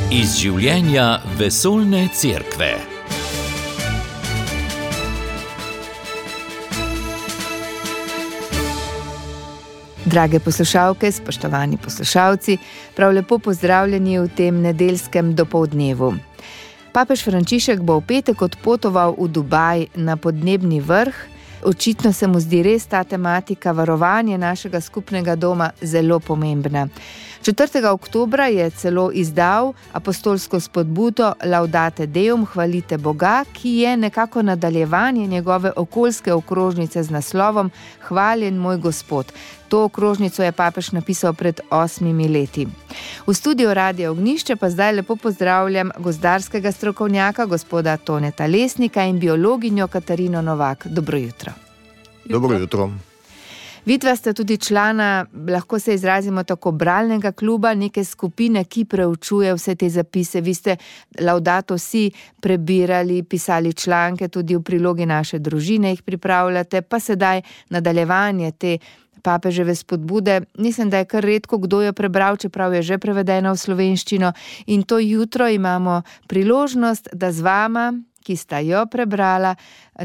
Iz življenja vesoljne cerkve. Drage poslušalke, spoštovani poslušalci, prav lepo pozdravljeni v tem nedeljskem dopoldnevu. Papež Frančišek bo v petek odpotoval v Dubaj na podnebni vrh. Očitno se mu zdi res ta tematika varovanja našega skupnega doma zelo pomembna. 4. oktobra je celo izdal apostolsko spodbudo Laudate Deum, hvalite Boga, ki je nekako nadaljevanje njegove okoljske okrožnice z naslovom Hvaljen moj Gospod. To okrožnico je papež napisal pred 8 leti. V studiu Radia Ognjišče pa zdaj lepo pozdravljam gozdarskega strokovnjaka, gospoda Toneta Lesnika in biologinjo Katarino Novak. Dobro jutro. Dobro jutro. Vidva sta tudi člana, lahko se izrazimo tako, bralnega kluba, neke skupine, ki preučuje vse te zapise. Vi ste Laudato Si prebirali, pisali članke, tudi v prilogi Naše družine jih pripravljate, pa sedaj nadaljevanje te papeževe spodbude. Mislim, da je kar redko kdo jo prebral, čeprav je že prevedena v slovenščino. In to jutro imamo priložnost, da z vama, ki sta jo prebrala,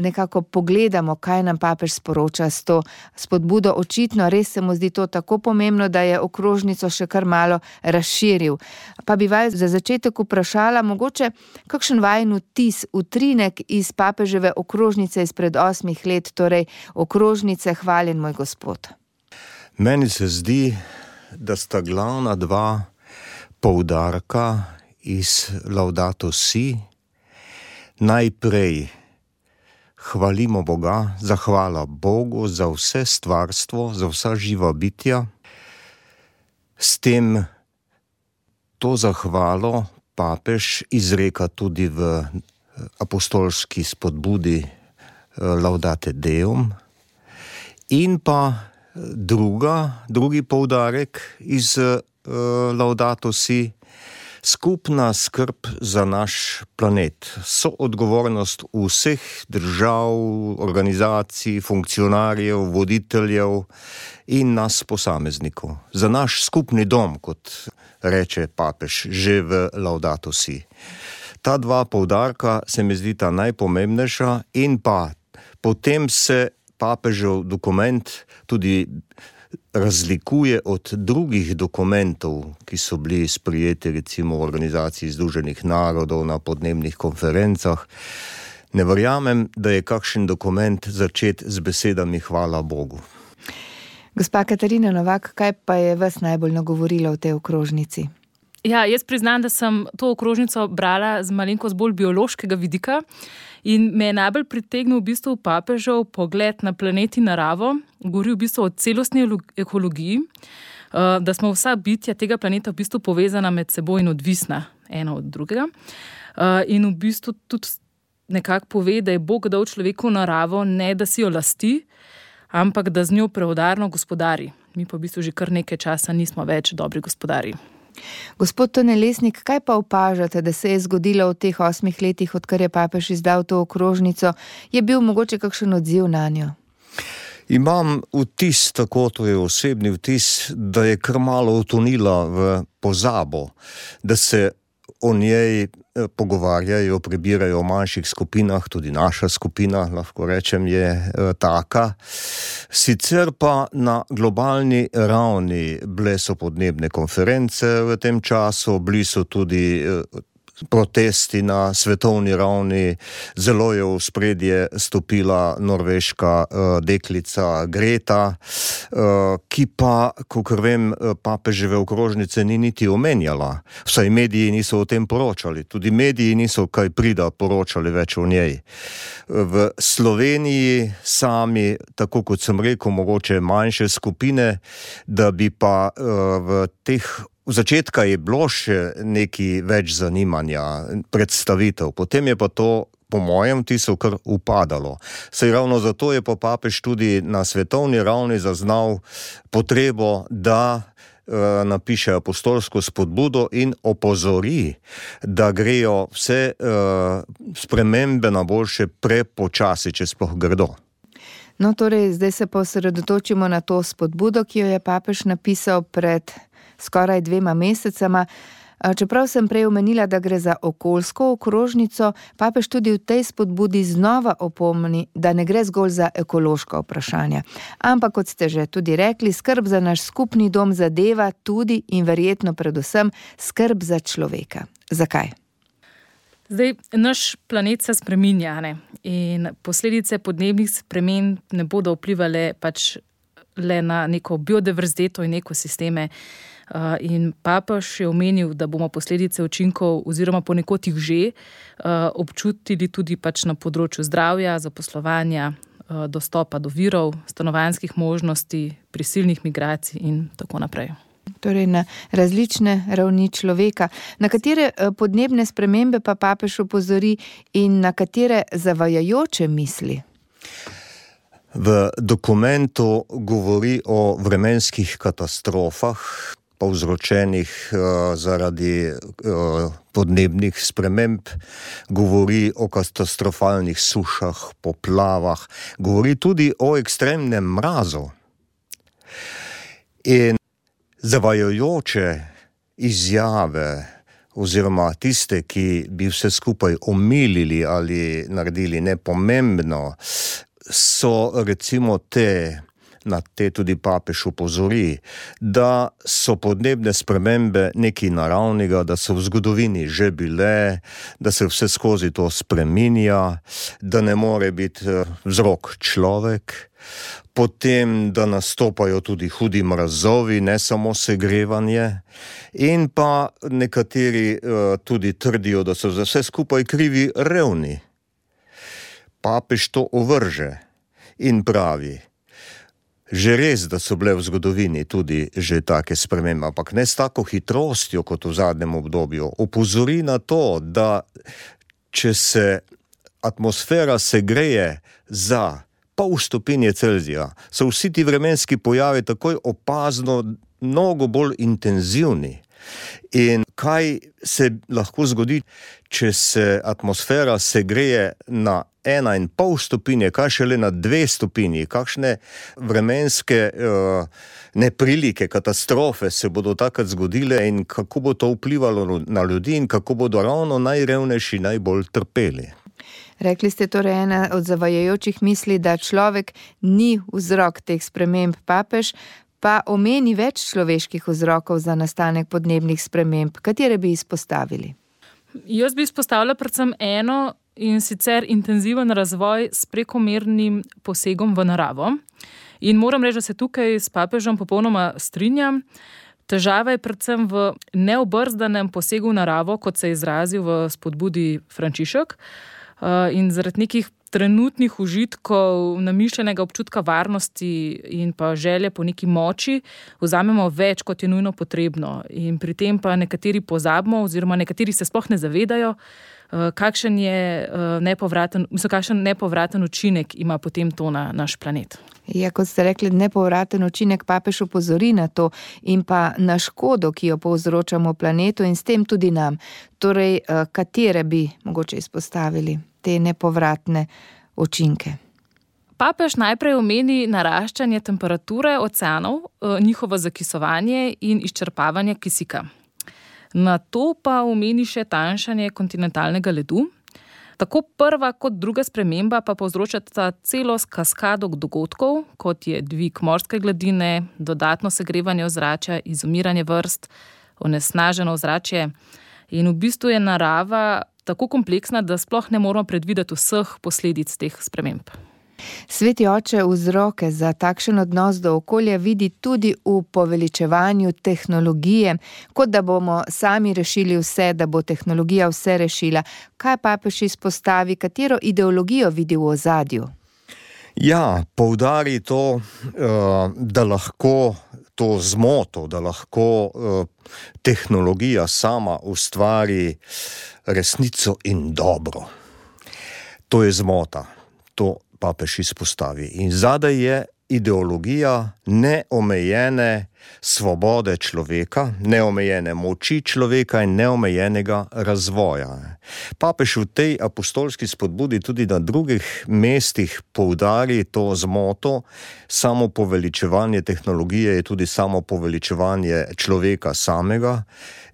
nekako pogledamo, kaj nam papež sporoča s to spodbudo. Očitno res se mu zdi to tako pomembno, da je okrožnico še kar malo razširil. Pa bi vas za začetek vprašala, mogoče kakšen vajin vtis, utrinek iz papeževe okrožnice izpred 8 let, torej okrožnice Hvaljen moj Gospod. Meni se zdi, da sta glavna dva poudarka iz Laudato Si. Najprej hvalimo Boga, zahvala Bogu za vse stvarstvo, za vsa živa bitja. S tem to zahvalo papež izreka tudi v apostolski spodbudi Laudate Deum. In pa drugi poudarek iz Laudato Si, skupna skrb za naš planet, soodgovornost vseh držav, organizacij, funkcionarjev, voditeljev in nas posameznikov. Za naš skupni dom, kot reče papež že v Laudato Si. Ta dva poudarka se mi zdi ta najpomembnejša in pa potem se papežev dokument tudi razlikuje od drugih dokumentov, ki so bili sprejeti recimo v Organizaciji Združenih narodov na podnebnih konferencah. Ne verjamem, da je kakšen dokument začet z besedami hvala Bogu. Gospa Katarina Novak, kaj pa je vas najbolj nagovorilo v tej okrožnici? Ja, jaz priznam, da sem to okrožnico brala z malenkost bolj biološkega vidika in me je najbolj pritegnil v bistvu papežev pogled na planet in naravo, govori v bistvu o celostni ekologiji, da smo vsa bitja tega planeta v bistvu povezana med seboj in odvisna ena od drugega. In v bistvu tudi nekako pove, da je Bog dal človeku naravo, ne da si jo lasti, ampak da z njo preudarno gospodari. Mi pa v bistvu že kar nekaj časa nismo več dobri gospodari. Gospod Tone Lesnik, kaj pa opažate, da se je zgodilo v teh 8 letih, odkar je papež izdal to okrožnico? Je bil mogoče kakšen odziv na njo? Imam vtis, tako to je osebni vtis, da je kar malo utonila v pozabo, da se o njej pogovarjajo, prebirajo v manjših skupinah, tudi naša skupina, lahko rečem, je taka. Sicer pa na globalni ravni bile so podnebne konference v tem času, bili so tudi protesti na svetovni ravni, zelo je v spredje stopila norveška deklica Greta, ki pa, kakor vem, papeževe okrožnice ni niti omenjala. Vsaj mediji niso o tem poročali, tudi mediji niso kaj prida poročali več o njej. V Sloveniji sami, tako kot sem rekel, mogoče manjše skupine, da bi pa v teh V začetka je bilo še nekaj več zanimanja, predstavitev, potem je pa to, po mojem vtisu, kar upadalo. Saj ravno zato je pa papež tudi na svetovni ravni zaznal potrebo, da napiše apostolsko spodbudo in opozori, da grejo vse spremembe na boljše prepočasi, če sploh gredo. No, torej, zdaj se pa osredotočimo na to spodbudo, ki jo je papež napisal pred skoraj 2 mesecema. Čeprav sem prej omenila, da gre za okoljsko okrožnico, papež tudi v tej spodbudi znova opomni, da ne gre zgolj za ekološka vprašanja. Ampak, kot ste že tudi rekli, skrb za naš skupni dom zadeva tudi in verjetno predvsem skrb za človeka. Zakaj? Zdaj, naš planet se spreminja, ne? In posledice podnebnih sprememb ne bodo vplivale pač le na neko biodiverziteto in ekosisteme. In papež je omenil, da bomo posledice učinkov oziroma ponekod jih že občutili tudi pač na področju zdravja, zaposlovanja, dostopa do virov, stanovanjskih možnosti, prisilnih migracij in tako naprej. Torej na različne ravni človeka. Na katere podnebne spremembe pa papež opozori in na katere zavajajoče misli? V dokumentu govori o vremenskih katastrofah, povzročenih zaradi podnebnih sprememb, govori o katastrofalnih sušah, poplavah, govori tudi o ekstremnem mrazu. In zavajajoče izjave oziroma tiste, ki bi vse skupaj omilili ali naredili nepomembno, so recimo na te tudi papež opozori, da so podnebne spremembe nekaj naravnega, da so v zgodovini že bile, da se vse skozi to spreminja, da ne more biti vzrok človek, potem, da nastopajo tudi hudi mrazovi, ne samo segrevanje, in pa nekateri tudi trdijo, da so za vse skupaj krivi revni. Papež to ovrže in pravi, že res, da so bile v zgodovini tudi že take spremembe, ampak ne s tako hitrostjo kot v zadnjem obdobju. Opozori na to, da če se atmosfera segreje za pol stopinje Celzija, so vsi ti vremenski pojavi takoj opazno mnogo bolj intenzivni. In kaj se lahko zgodi, če se atmosfera segreje na 1,5 stopinje, kaj šele na 2 stopinji, kakšne vremenske neprilike, katastrofe se bodo takrat zgodile in kako bo to vplivalo na ljudi in kako bodo ravno najrevnejši najbolj trpeli. Rekli ste torej ena od zavajajočih misli, da človek ni vzrok teh sprememb. Papež pa omeni več človeških vzrokov za nastanek podnebnih sprememb. Katere bi izpostavili? Jaz bi izpostavila predvsem eno, in sicer intenziven razvoj s prekomernim posegom v naravo. In moram reči, da se tukaj s papežem popolnoma strinjam. Težava je predvsem v neobrzdanem posegu v naravo, kot se je izrazil v spodbudi Frančišek. In zaradi nekih trenutnih užitkov, namišljenega občutka varnosti in pa želje po neki moči vzamemo več, kot je nujno potrebno. In pri tem pa nekateri pozabimo oziroma nekateri se sploh ne zavedajo, kakšen nepovraten učinek ima potem to na naš planet. Ja, kot ste rekli, nepovraten učinek, papež opozori na to in pa na škodo, ki jo povzročamo planetu in s tem tudi nam. Torej, katere bi mogoče izpostavili te nepovratne učinke? Papež najprej omeni naraščanje temperature oceanov, njihovo zakisovanje in izčrpavanje kisika. Na to pa omeni še tanjšanje kontinentalnega ledu. Tako prva kot druga sprememba pa povzročata celo kaskado dogodkov, kot je dvig morske gladine, dodatno segrevanje ozračja, izumiranje vrst, onesnaženo ozračje. In v bistvu je narava tako kompleksna, da sploh ne moramo predvideti vseh posledic teh sprememb. Sveti oče vzroke za takšen odnos do okolja vidi tudi v poveličevanju tehnologije, kot da bomo sami rešili vse, da bo tehnologija vse rešila. Kaj papež izpostavi, katero ideologijo vidi v ozadju? Ja, poudari to, da lahko to zmoto, da lahko tehnologija sama ustvari resnico in dobro. To je zmota, to papež izpostavi. In zadaj je ideologija neomejene svobode človeka, neomejene moči človeka in neomejenega razvoja. Papež v tej apostolski spodbudi tudi na drugih mestih poudari to zmoto. Samo poveličevanje tehnologije je tudi samo poveličevanje človeka samega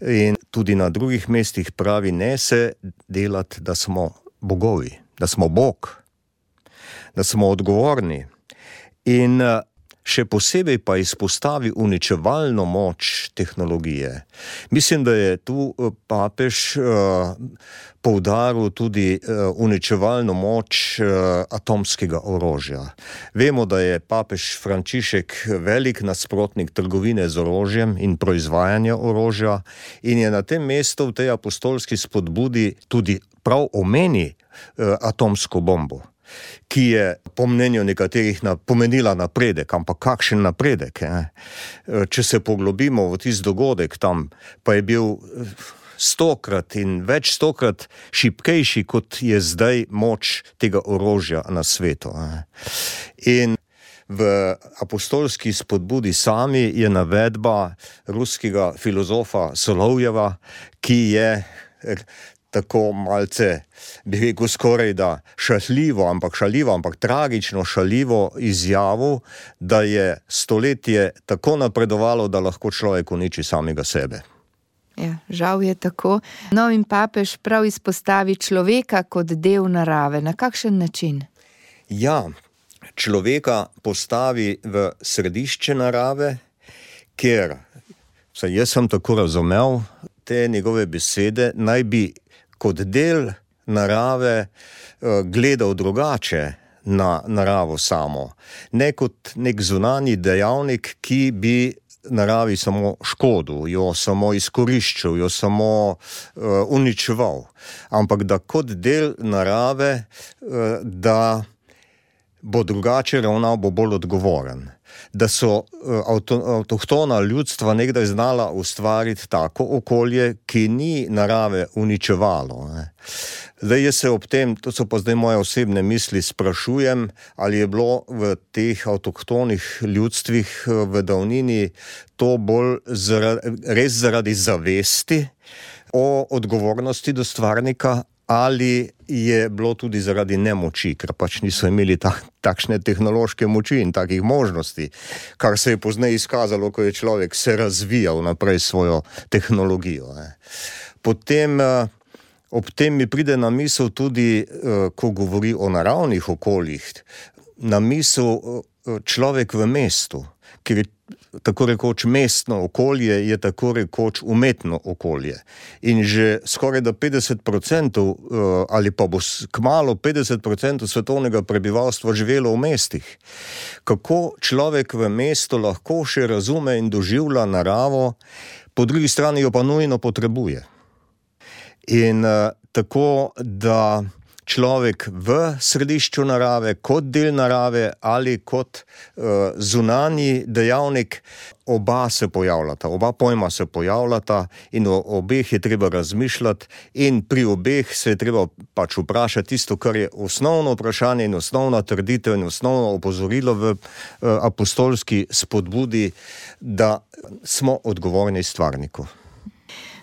in tudi na drugih mestih pravi, ne se delati, da smo bogovi, da smo Bog, da smo odgovorni. In še posebej pa izpostavi uničevalno moč tehnologije. Mislim, da je tu papež poudaril tudi uničevalno moč atomskega orožja. Vemo, da je papež Frančišek velik nasprotnik trgovine z orožjem in proizvajanja orožja in je na tem mestu v tej apostolski spodbudi tudi prav omeni atomsko bombo, ki je po mnenju nekaterih pomenila napredek, ampak kakšen napredek? Če se poglobimo v tisti dogodek tam, pa je bil 100-krat in več 100-krat šibkejši, kot je zdaj moč tega orožja na svetu. In v apostolski spodbudi sami je navedba ruskega filozofa Solovjeva, ki je tako malce, bi rekel skoraj da šaljivo, ampak tragično šaljivo izjavil, da je stoletje tako napredovalo, da lahko človek uniči samega sebe. Ja, žal je tako. No, in papež prav izpostavi človeka kot del narave. Na kakšen način? Ja, človeka postavi v središče narave, ker, jaz sem tako razumel, te njegove besede naj bi kot del narave gledal drugače na naravo samo. Ne kot nek zunanji dejavnik, ki bi naravi samo škodil, jo samo izkoriščal, jo samo uničeval. Ampak da kot del narave, da bo drugače ravnal, bo bolj odgovoren. Da so avtohtona ljudstva nekdaj znala ustvariti tako okolje, ki ni narave uničevalo. Zdaj jaz se ob tem, to so pa zdaj moje osebne misli, sprašujem, ali je bilo v teh avtohtonih ljudstvih v davnini to bolj res zaradi zavesti o odgovornosti do stvarnika, ali je bilo tudi zaradi nemoči, ker pač niso imeli takšne tehnološke moči in takih možnosti, kar se je pozneje izkazalo, ko je človek se razvijal naprej svojo tehnologijo. Potem ob tem mi pride na misel tudi, ko govori o naravnih okoljih, na misel človek v mestu, ker je tako rekoč mestno okolje je tako rekoč umetno okolje. In že skoraj da 50% ali pa bo kmalu 50% svetovnega prebivalstva živelo v mestih. Kako človek v mestu lahko še razume in doživlja naravo, po drugi strani jo pa nujno potrebuje. In tako, da človek v središču narave, kot del narave ali kot zunanji dejavnik, oba se pojavljata, oba pojma se pojavljata in o obeh je treba razmišljati in pri obeh se je treba pač vprašati tisto, kar je osnovno vprašanje in osnovna trditev in osnovno opozorilo v apostolski spodbudi, da smo odgovorni stvarniku.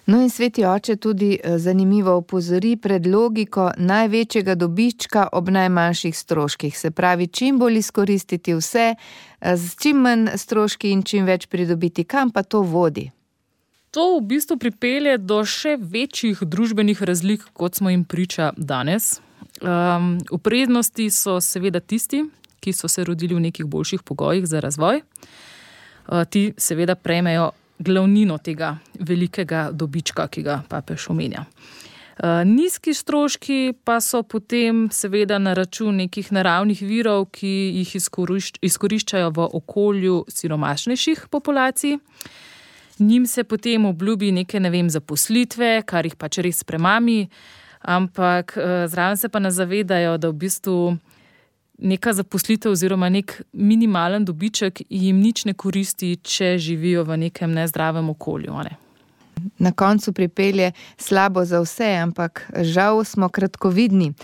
No in sveti oče tudi zanimivo opozori pred logiko največjega dobička ob najmanjših stroških. Se pravi, čim bolj izkoristiti vse, z čim manj stroški in čim več pridobiti. Kam pa to vodi? To v bistvu pripelje do še večjih družbenih razlik, kot smo jim priča danes. V prednosti so seveda tisti, ki so se rodili v nekih boljših pogojih za razvoj. Ti seveda prejmejo glavnino tega velikega dobička, ki ga papež omenja. Nizki stroški pa so potem seveda na račun nekih naravnih virov, ki jih izkoriščajo v okolju siromašnejših populacij. Njim se potem obljubi neke, zaposlitve, kar jih pač res premami, ampak zraven se pa ne zavedajo, da v bistvu neka zaposlitev oziroma nek minimalen dobiček jim nič ne koristi, če živijo v nekem nezdravem okolju. Na koncu pripelje slabo za vse, ampak žal smo kratkovidni.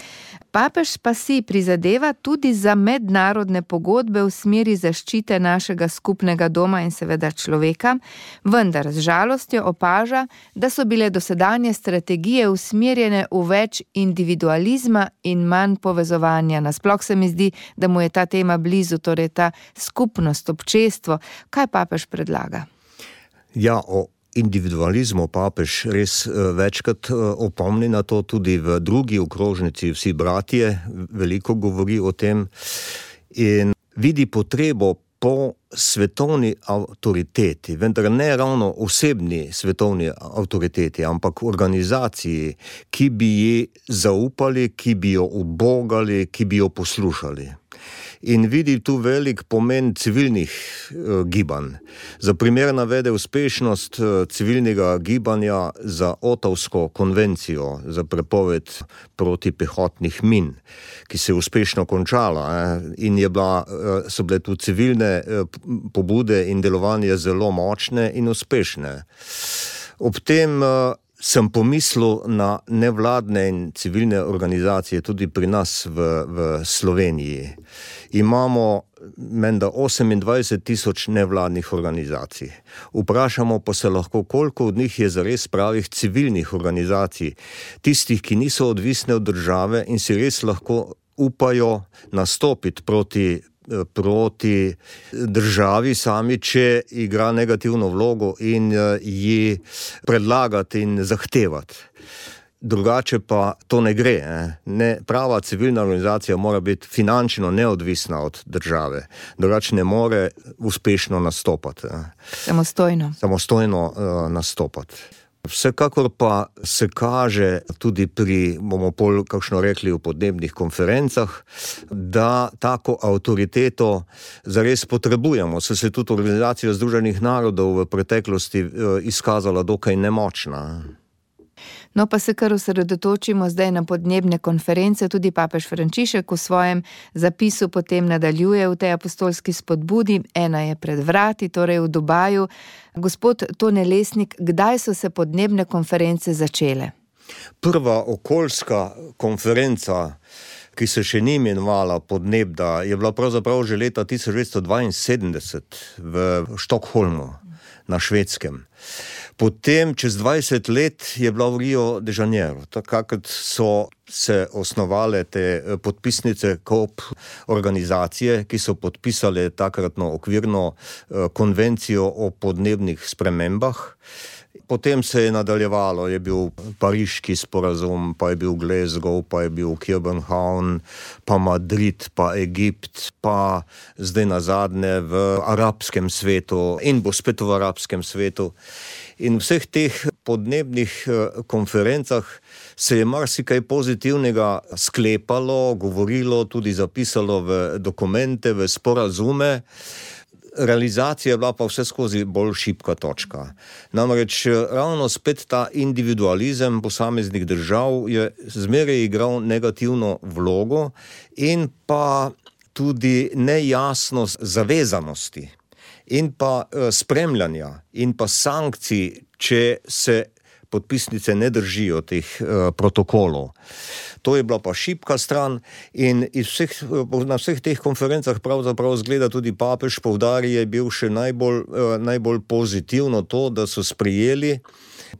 Papež pa si prizadeva tudi za mednarodne pogodbe v smeri zaščite našega skupnega doma in seveda človeka, vendar z žalostjo opaža, da so bile dosedanje strategije usmerjene v več individualizma in manj povezovanja. Nasploh se mi zdi, da mu je ta tema blizu, torej ta skupnost, občestvo. Kaj papež predlaga? Ja, o individualizmu papež res večkrat opomni na to, tudi v drugi okrožnici Vsi bratje veliko govori o tem in vidi potrebo po svetovni avtoriteti, vendar ne ravno osebni svetovni avtoriteti, ampak organizaciji, ki bi ji zaupali, ki bi jo ubogali, ki bi jo poslušali. In vidi tu velik pomen civilnih gibanj. Za primer navede uspešnost civilnega gibanja za Otavsko konvencijo za prepoved protipehotnih min, ki se je uspešno končala in so bile tu civilne pobude in delovanje zelo močne in uspešne. Ob tem sem pomislil na nevladne in civilne organizacije tudi pri nas v Sloveniji. Imamo menda 28,000 nevladnih organizacij. Vprašamo pa se lahko, koliko od njih je zares pravih civilnih organizacij, tistih, ki niso odvisne od države in si res lahko upajo nastopiti proti državi sami, če igra negativno vlogo in ji predlagati in zahtevati. Drugače pa to ne gre. Prava civilna organizacija mora biti finančno neodvisna od države. Drugače ne more uspešno nastopati. Samostojno nastopati. Vsekakor pa se kaže tudi bomo pol kakšno rekli v podnebnih konferencah, da tako avtoriteto zares potrebujemo. Se tudi Organizacija Združenih narodov v preteklosti izkazala dokaj nemočna. No, pa se kar osredotočimo zdaj na podnebne konference. Tudi papež Frančišek v svojem zapisu potem nadaljuje v tej apostolski spodbudi. Ena je pred vrati, torej v Dubaju. Gospod Tone Lesnik, kdaj so se podnebne konference začele? Prva okoljska konferenca, ki se še ni imenovala Podnebda, je bila pravzaprav že leta 1972 v Štokholmu na Švedskem. Potem, čez 20 let, je bila v Rio de Janeiro. Takrat so se osnovale te podpisnice COP organizacije, ki so podpisale takratno okvirno konvencijo o podnebnih spremembah. Potem se je nadaljevalo, je bil Pariški sporazum, pa je bil Glasgow, pa je bil Copenhagen, pa Madrid, pa Egipt, pa zdaj nazadnje v arabskem svetu in bo spet v arabskem svetu. In v vseh teh podnebnih konferencah se je marsikaj pozitivnega sklepalo, govorilo, tudi zapisalo v dokumente, v sporazume. Realizacija je bila pa vse skozi bolj šibka točka. Namreč ravno spet ta individualizem posameznih držav je zmeraj igral negativno vlogo in pa tudi nejasnost zavezanosti in pa spremljanja in pa sankcij, če se podpisnice ne držijo teh protokolov. To je bila pa šibka stran in na vseh teh konferencah pravzaprav zgleda tudi papež poudarja, je bil še najbolj pozitivno to, da so sprejeli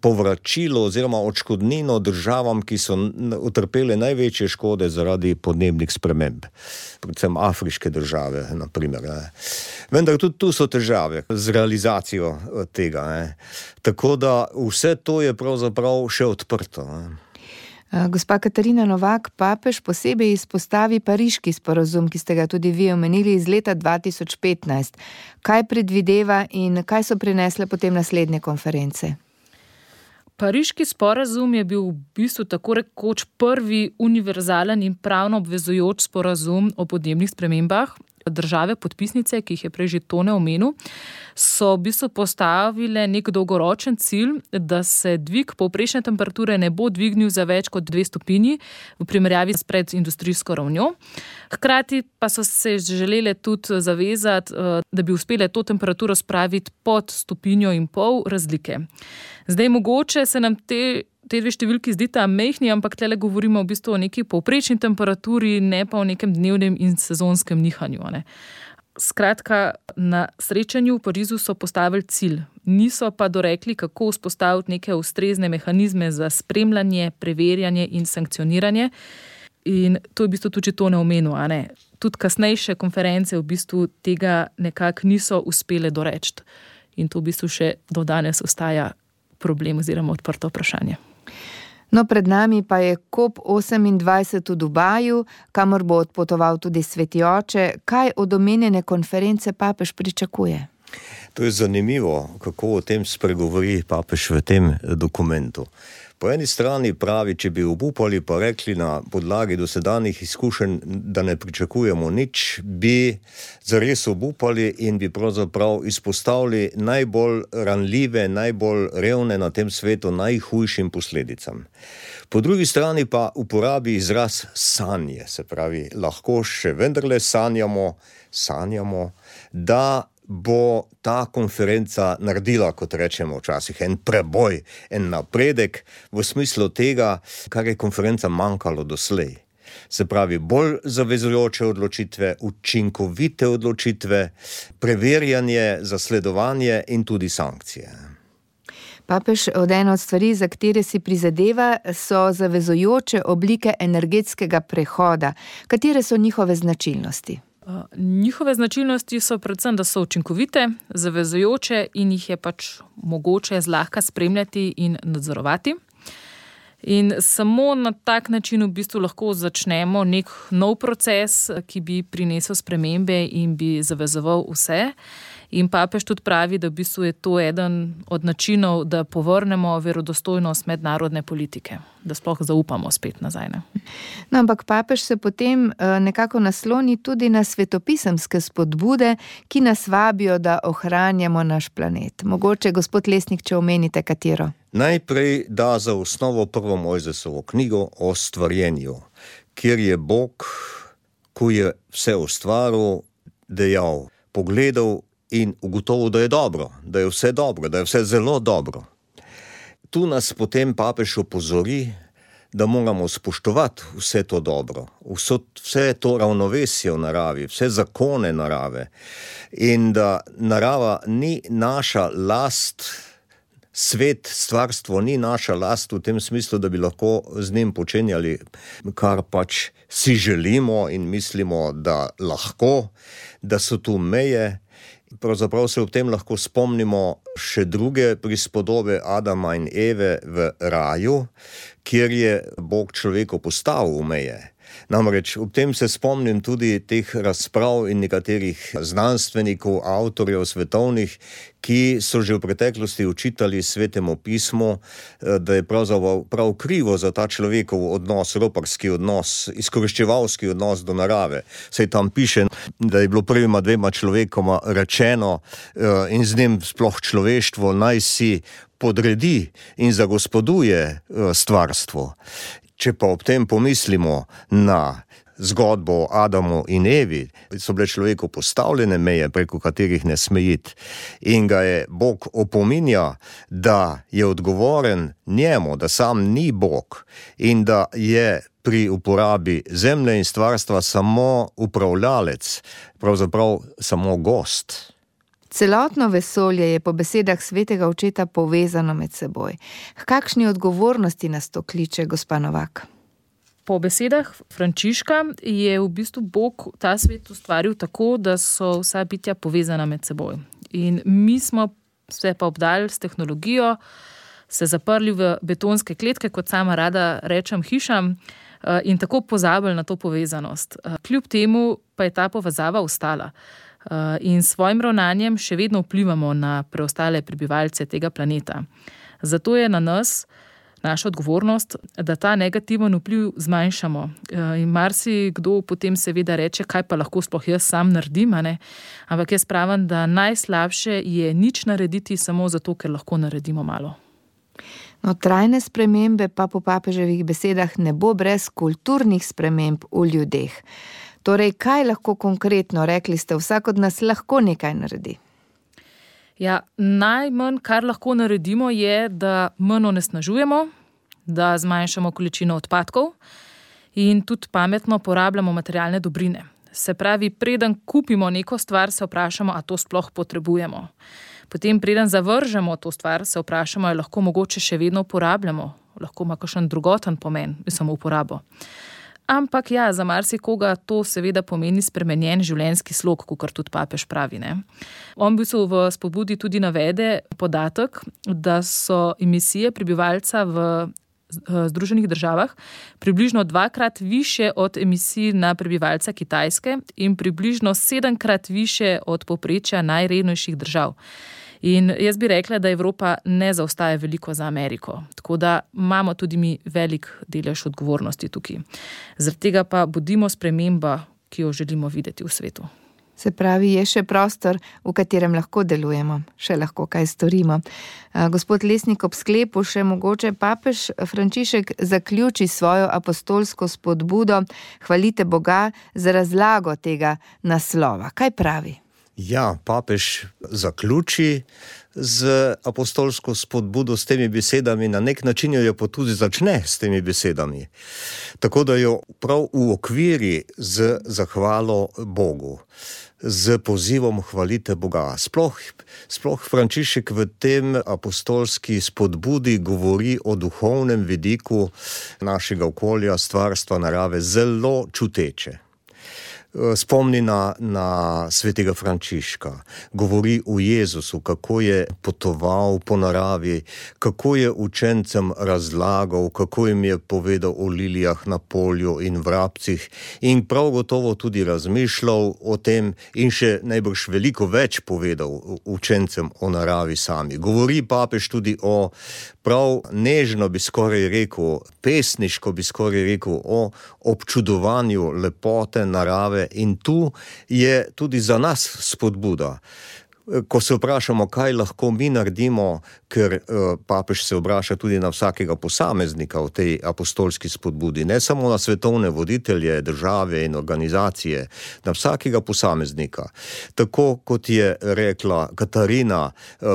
povračilo oziroma odškodnino državam, ki so utrpele največje škode zaradi podnebnih sprememb. Predvsem afriške države, na primer. Vendar tudi tu so težave z realizacijo tega. Tako da vse to je pravzaprav še odprto. Gospa Katarina Novak, papež posebej izpostavi Pariški sporazum, ki ste ga tudi vi omenili iz leta 2015. Kaj predvideva in kaj so prinesle potem naslednje konference? Pariški sporazum je bil v bistvu tako rekoč prvi univerzalen in pravno obvezujoč sporazum o podnebnih spremembah. Države podpisnice, ki jih je prej že Tone omenil, so v bistvu postavile nek dolgoročen cilj, da se dvig povprečne temperature ne bo dvignil za več kot 2 stopinji v primerjavi s predindustrijsko ravnjo. Hkrati pa so se želele tudi zavezati, da bi uspele to temperaturo spraviti pod 1,5 stopinje razlike. Zdaj mogoče se nam te dve številki zdita mehni, ampak tle govorimo v bistvu o neki povprečni temperaturi, ne pa o nekem dnevnem in sezonskem nihanju. Skratka, na srečanju v Parizu so postavili cilj. Niso pa dorekli, kako vzpostaviti neke ustrezne mehanizme za spremljanje, preverjanje in sankcioniranje. In to je v bistvu tudi Tone omenil. Tudi kasnejše konference v bistvu tega nekako niso uspele doreči. In to v bistvu še do danes ostaja problem oziroma odprto vprašanje. No, pred nami pa je COP28 v Dubaju, kamor bo odpotoval tudi Sveti oče. Kaj od omenjene konference papež pričakuje? To je zanimivo, kako o tem spregovori papež v tem dokumentu. Po eni strani pravi, če bi obupali pa rekli na podlagi dosedanjih izkušenj, da ne pričakujemo nič, bi zares obupali in bi pravzaprav izpostavili najbolj ranljive, najbolj revne na tem svetu najhujšim posledicam. Po drugi strani pa uporabi izraz sanje, se pravi, lahko še vendarle sanjamo, da bo ta konferenca naredila, kot rečemo včasih, en preboj, en napredek v smislu tega, kar je konferenca manjkalo doslej. Se pravi, bolj zavezujoče odločitve, učinkovite odločitve, preverjanje, zasledovanje in tudi sankcije. Papež ena od stvari, za katere si prizadeva, so zavezujoče oblike energetskega prehoda. Katere so njihove značilnosti? Njihove značilnosti so predvsem, da so učinkovite, zavezujoče in jih je pač mogoče zlahka spremljati in nadzorovati. In samo na tak način v bistvu lahko začnemo nek nov proces, ki bi prinesel spremembe in bi zavezoval vse. In papež tudi pravi, da v bistvu je to eden od načinov, da povrnemo verodostojnost mednarodne politike, da sploh zaupamo spet nazaj. Ne? No, ampak papež se potem nekako nasloni tudi na svetopisemske spodbude, ki nas vabijo, da ohranjamo naš planet. Mogoče, gospod Lesnik, če omenite katero? Najprej da za osnovo prvo Mojzesovo knjigo o stvarjenju, kjer je Bog, ko je vse ustvaril, dejal, pogledal in ugotovil, da je dobro, da je vse dobro, da je vse zelo dobro. Tu nas potem papež opozori, da moramo spoštovati vse to dobro, vse to ravnovesje v naravi, vse zakone narave in da narava ni naša last, svet, stvarstvo ni naša last v tem smislu, da bi lahko z njim počenjali, kar pač si želimo in mislimo, da lahko, da so tu meje. Pravzaprav se ob tem lahko spomnimo še druge prispodobe Adama in Eve v raju, kjer je Bog človeku postavil meje. Namreč ob tem se spomnim tudi teh razprav in nekaterih znanstvenikov, avtorjev svetovnih, ki so že v preteklosti učitali Svetemu pismu, da je pravzaprav prav krivo za ta človekov odnos, roparski odnos, izkoriščevalski odnos do narave. Saj tam piše, da je bilo prvima dvema človekoma rečeno in z njim sploh človeštvo naj si podredi in zagospoduje stvarstvo. Če pa ob tem pomislimo na zgodbo o Adamu in Evi, so bile človeku postavljene meje, preko katerih ne sme iti, in ga je Bog opominja, da je odgovoren njemu, da sam ni Bog in da je pri uporabi zemlje in stvarstva samo upravljalec, pravzaprav samo gost. Celotno vesolje je po besedah svetega očeta povezano med seboj. K kakšni odgovornosti nas to kliče, gospa Novak? Po besedah Frančiška je v bistvu Bog ta svet ustvaril tako, da so vsa bitja povezana med seboj. In mi smo se pa obdali s tehnologijo, se zaprli v betonske kletke, kot sama rada rečem, hišam, in tako pozabili na to povezanost. Kljub temu pa je ta povezava ostala. In s svojim ravnanjem še vedno vplivamo na preostale prebivalce tega planeta. Zato je na nas, naša odgovornost, da ta negativen vpliv zmanjšamo. In marsikdo potem seveda reče, kaj pa lahko sploh jaz sam naredim, ne? Ampak jaz pravim, da najslabše je nič narediti samo zato, ker lahko naredimo malo. No, trajne spremembe pa po papeževih besedah ne bo brez kulturnih sprememb v ljudeh. Torej, kaj lahko konkretno, rekli ste, vsak od nas lahko nekaj naredi? Ja, najmanj, kar lahko naredimo, je, da manj onesnažujemo, da zmanjšamo količino odpadkov in tudi pametno porabljamo materialne dobrine. Se pravi, preden kupimo neko stvar, se vprašamo, a to sploh potrebujemo. Potem, preden zavržemo to stvar, se vprašamo, ali lahko mogoče še vedno uporabljamo, lahko ima kakšen drugoten pomen, samo uporabo. Ampak ja, za marsikoga to seveda pomeni spremenjen življenjski slog, kakor tudi papež pravi, ne. On v spodbudi tudi navede podatek, da so emisije prebivalca v Združenih državah približno 2-krat više od emisij na prebivalca Kitajske in približno 7-krat više od povprečja najrevnejših držav. In jaz bi rekla, da Evropa ne zaostaja veliko za Ameriko, tako da imamo tudi mi velik delež odgovornosti tukaj. Zaradi tega pa bodimo sprememba, ki jo želimo videti v svetu. Se pravi, je še prostor, v katerem lahko delujemo, še lahko kaj storimo. Gospod Lesnik, ob sklepu še mogoče papež Frančišek zaključi svojo apostolsko spodbudo Hvalite Boga za razlago tega naslova. Kaj pravi? Ja, papež zaključi z apostolsko spodbudo s temi besedami, na nek način jo pa tudi začne s temi besedami. Tako da jo prav uokviri z zahvalo Bogu, z pozivom Hvalite Boga. Sploh Frančišek v tem apostolski spodbudi govori o duhovnem vidiku našega okolja, stvarstva, narave, zelo čuteče. Spomni na svetega Frančiška, govori o Jezusu, kako je potoval po naravi, kako je učencem razlagal, kako jim je povedal o lilijah na polju in vrabcih in prav gotovo tudi razmišljal o tem in še najbrž veliko več povedal učencem o naravi sami. Govori papež tudi o prav nežno bi skoraj rekel, pesniško bi skoraj rekel, o občudovanju lepote narave in tu je tudi za nas spodbuda. Ko se vprašamo, kaj lahko mi naredimo, ker papež se obraša tudi na vsakega posameznika v tej apostolski spodbudi, ne samo na svetovne voditelje, države in organizacije, na vsakega posameznika. Tako kot je rekla Katarina,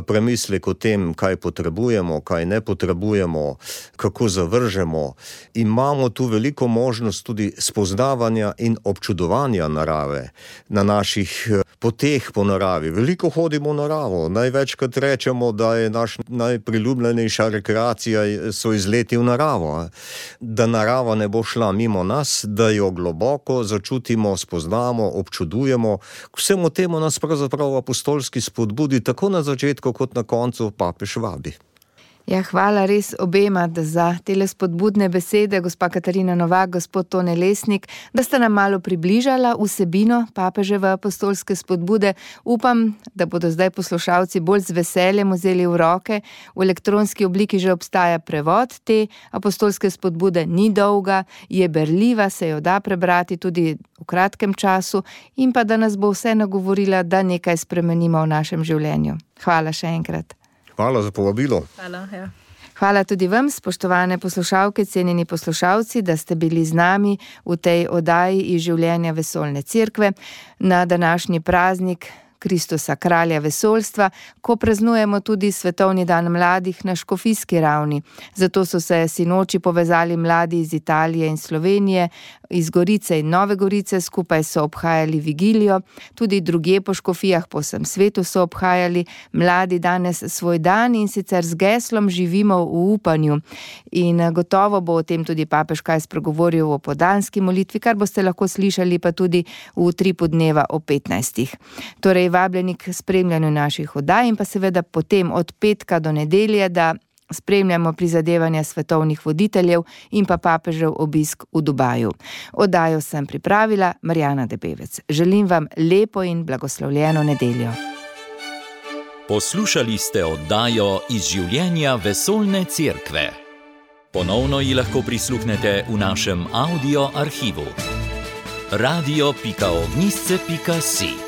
premislek o tem, kaj potrebujemo, kaj ne potrebujemo, kako zavržemo. Imamo tu veliko možnost tudi spoznavanja in občudovanja narave na naših poteh po naravi. Veliko hodimo v naravo. Največkrat rečemo, da je naš najpriljubljenejša rekreacija so izleti v naravo. Da narava ne bo šla mimo nas, da jo globoko začutimo, spoznamo, občudujemo. K vsemu temu nas pravzaprav apostolski spodbudi tako na začetku kot na koncu papež vabi. Ja, hvala res obema za tele spodbudne besede, gospa Katarina Novak, gospod Tone Lesnik, da sta nam malo približala vsebino papeževe apostolske spodbude. Upam, da bodo zdaj poslušalci bolj z veseljem vzeli v roke. V elektronski obliki že obstaja prevod te apostolske spodbude, ni dolga, je berljiva, se jo da prebrati tudi v kratkem času in pa da nas bo vse nagovorila, da nekaj spremenimo v našem življenju. Hvala še enkrat. Hvala za povabilo. Hvala, ja. Hvala tudi vam, spoštovane poslušalke, cenjeni poslušalci, da ste bili z nami v tej oddaji iz življenja Vesoljne cerkve na današnji praznik Kristusa, kralja vesoljstva, ko praznujemo tudi Svetovni dan mladih na škofijski ravni. Zato so se sinoči povezali mladi iz Italije in Slovenije, iz Gorice in Nove Gorice, skupaj so obhajali vigilijo, tudi drugje po škofijah po vsem svetu so obhajali mladi danes svoj dan in sicer z geslom Živimo v upanju. In gotovo bo o tem tudi papež kaj spregovoril o podanski molitvi, kar boste lahko slišali pa tudi v Utripu dneva o 15. Torej, vabljeni k spremljanju naših oddaj in pa seveda potem od petka do nedelje, da spremljamo prizadevanja svetovnih voditeljev in pa papežev obisk v Dubaju. Oddajo sem pripravila Marjana Debevec. Želim vam lepo in blagoslovljeno nedeljo. Poslušali ste oddajo iz življenja Vesoljne cerkve. Ponovno ji lahko prisluhnete v našem audio arhivu. radio.ognisce.si